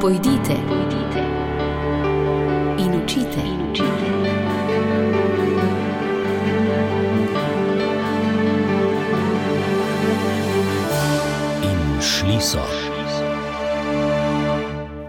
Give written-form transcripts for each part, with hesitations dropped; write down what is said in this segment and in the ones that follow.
Pojdite in učite. In šli so.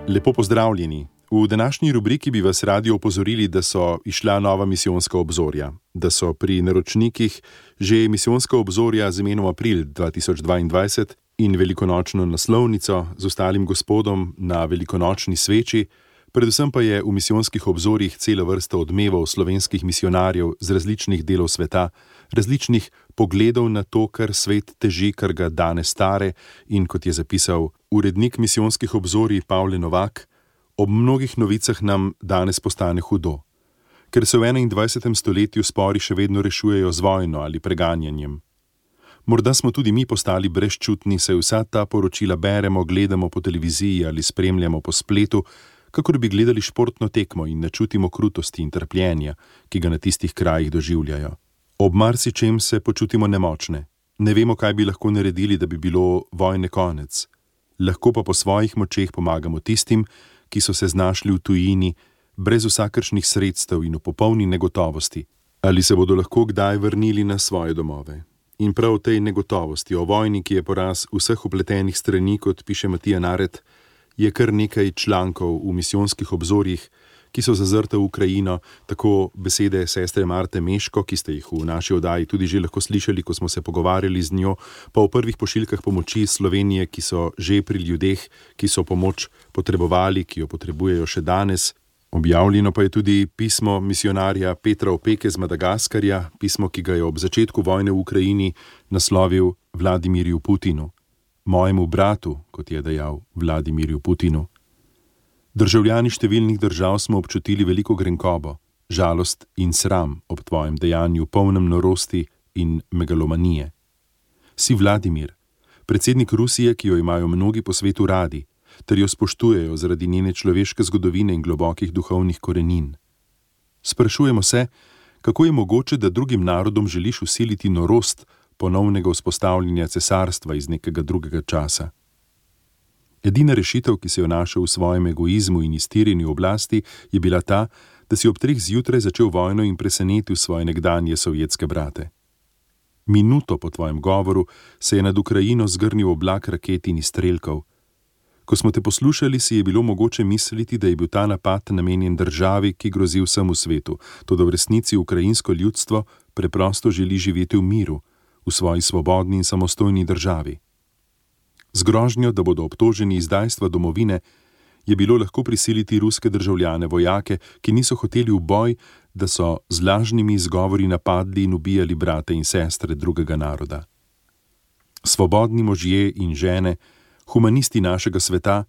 Lepo pozdravljeni. V današnji rubriki bi vas radi opozorili, da so izšla nova misijonska obzorja, da so pri naročnikih že misijonska obzorja z imenom April 2022 in velikonočno naslovnico z ostalim gospodom na velikonočni sveči, predvsem pa je v misijonskih obzorjih cela vrsta odmevov slovenskih misionarjev z različnih delov sveta, različnih pogledov na to, kar svet teži, kar ga danes stare, in kot je zapisal urednik misijonskih obzorij Pavle Novak, ob mnogih novicah nam danes postane hudo, ker se v 21. stoletju spori še vedno rešujejo z vojno ali preganjanjem. Morda smo tudi mi postali brezčutni, saj vsa ta poročila beremo, gledamo po televiziji ali spremljamo po spletu, kakor bi gledali športno tekmo in ne čutimo krutosti in trpljenja, ki ga na tistih krajih doživljajo. Ob marsičem se počutimo nemočne. Ne vemo, kaj bi lahko naredili, da bi bilo vojne konec. Lahko pa po svojih močeh pomagamo tistim, ki so se znašli v tujini, brez vsakršnih sredstev in v popolni negotovosti, ali se bodo lahko kdaj vrnili na svoje domove. In prav v tej negotovosti o vojni, ki je poraz vseh vpletenih strani, kot piše Matija Naret, je kar nekaj člankov v misijonskih obzorjih, ki so zazrte v Ukrajino, tako besede sestre Marte Meško, ki ste jih v naši oddaji tudi že lahko slišali, ko smo se pogovarjali z njo, pa v prvih pošiljkah pomoči Slovenije, ki so že pri ljudeh, ki so pomoč potrebovali, ki jo potrebujejo še danes. Objavljeno pa je tudi pismo misionarja Petra Opeke z Madagaskarja, pismo, ki ga je ob začetku vojne v Ukrajini naslovil Vladimirju Putinu, mojemu bratu, kot je dejal Vladimirju Putinu. Državljani številnih držav smo občutili veliko grenkobo, žalost in sram ob tvojem dejanju, polnem norosti in megalomanije. Si Vladimir, predsednik Rusije, ki jo imajo mnogi po svetu radi, ter jo spoštujejo zaradi njene človeške zgodovine in globokih duhovnih korenin. Sprašujemo se, kako je mogoče, da drugim narodom želiš vsiliti norost ponovnega vzpostavljanja cesarstva iz nekega drugega časa. Edina rešitev, ki se jo našel v svojem egoizmu in iztirjenju oblasti, je bila ta, da si ob 3 zjutraj začel vojno in presenetil svoje nekdanje sovjetske brate. Minuto po tvojem govoru se je nad Ukrajino zgrnil oblak raket in izstrelkov. Ko smo te poslušali, si je bilo mogoče misliti, da je bil ta napad namenjen državi, ki grozi vsemu svetu, toda v resnici ukrajinsko ljudstvo preprosto želi živeti v miru, v svoji svobodni in samostojni državi. Z grožnjo, da bodo obtoženi izdajstva domovine, je bilo lahko prisiliti ruske državljane, vojake, ki niso hoteli v boj, da so z lažnimi izgovori napadli in ubijali brate in sestre drugega naroda. Svobodni možje in žene, humanisti našega sveta,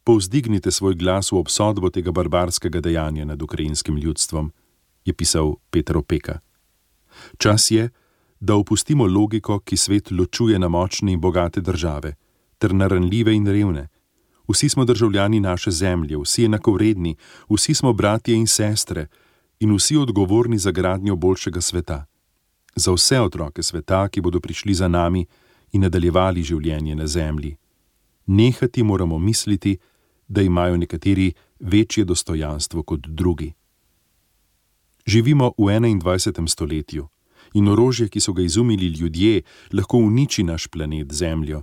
povzdignite svoj glas v obsodbo tega barbarskega dejanja nad ukrajinskim ljudstvom, je pisal Peter Opeka. Čas je, da opustimo logiko, ki svet ločuje na močne in bogate države, ter na ranljive in revne. Vsi smo državljani naše zemlje, vsi enakovredni, vsi smo bratje in sestre in vsi odgovorni za gradnjo boljšega sveta. Za vse otroke sveta, ki bodo prišli za nami in nadaljevali življenje na zemlji. Nehati moramo misliti, da imajo nekateri večje dostojanstvo kot drugi. Živimo v 21. stoletju in orožje, ki so ga izumili ljudje, lahko uniči naš planet Zemljo.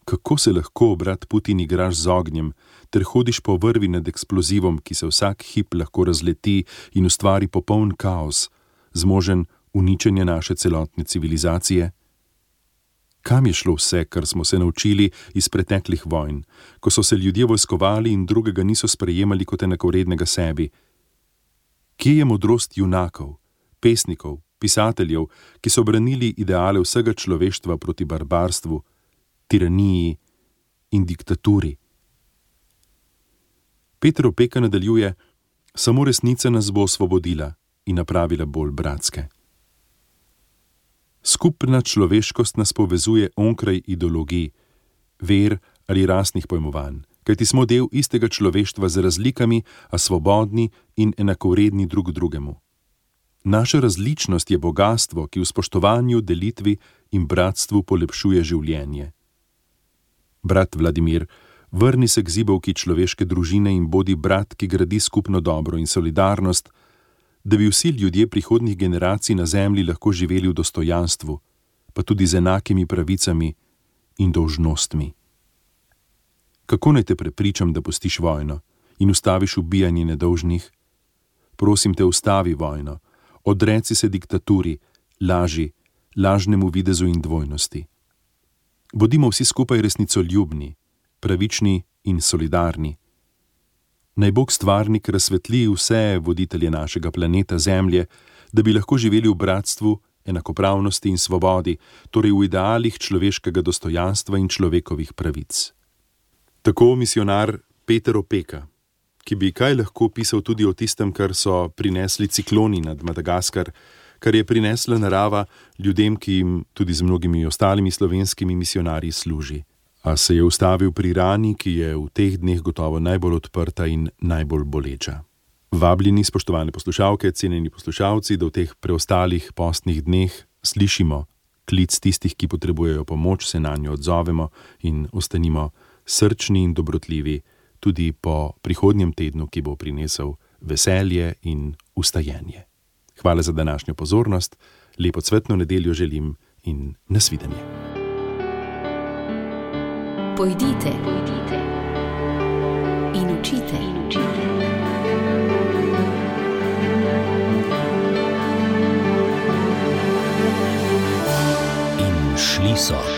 Kako se lahko, brat Putin, igraš z ognjem, ter hodiš po vrvi nad eksplozivom, ki se vsak hip lahko razleti in ustvari popoln kaos, zmožen uničenja naše celotne civilizacije? Kam je šlo vse, kar smo se naučili iz preteklih vojn, ko so se ljudje vojskovali in drugega niso sprejemali kot enakovrednega sebi? Kje je modrost junakov, pesnikov, pisateljev, ki so branili ideale vsega človeštva proti barbarstvu, tiraniji in diktaturi? Peter Opeka nadaljuje: samo resnica nas bo osvobodila in napravila bolj bratske. Skupna človeškost nas povezuje onkraj ideologij, ver ali rasnih pojmovanj, kajti smo del istega človeštva z razlikami, a svobodni in enakovredni drug drugemu. Naša različnost je bogastvo, ki v spoštovanju, delitvi in bratstvu polepšuje življenje. Brat Vladimir, Vrni se k zibelki človeške družine in bodi brat, ki gradi skupno dobro in solidarnost, da bi vsi ljudje prihodnjih generacij na zemlji lahko živeli v dostojanstvu, pa tudi z enakimi pravicami in dolžnostmi. Kako naj te prepričam, da pustiš vojno in ustaviš ubijanje nedolžnih? Prosim te, ustavi vojno, odreci se diktaturi, laži, lažnemu videzu in dvojnosti. Bodimo vsi skupaj resnicoljubni, pravični in solidarni. Naj Bog stvarnik razsvetli vse voditelje našega planeta Zemlje, da bi lahko živeli v bratstvu, enakopravnosti in svobodi, torej v idealih človeškega dostojanstva in človekovih pravic. Tako misionar Peter Opeka, ki bi kaj lahko pisal tudi o tistem, kar so prinesli cikloni nad Madagaskar, kar je prinesla narava ljudem, ki jim tudi z mnogimi ostalimi slovenskimi misionarji služi. A se je ustavil pri rani, ki je v teh dneh gotovo najbolj odprta in najbolj boleča. Vabljeni, spoštovane poslušalke, cenjeni poslušalci, da v teh preostalih postnih dneh slišimo klic tistih, ki potrebujejo pomoč, se nanjo odzovemo in ostanimo srčni in dobrotljivi tudi po prihodnjem tednu, ki bo prinesel veselje in ustajenje. Hvala za današnjo pozornost, lepo cvetno nedeljo želim in nasvidenje. Pojdite in učite. In šli so.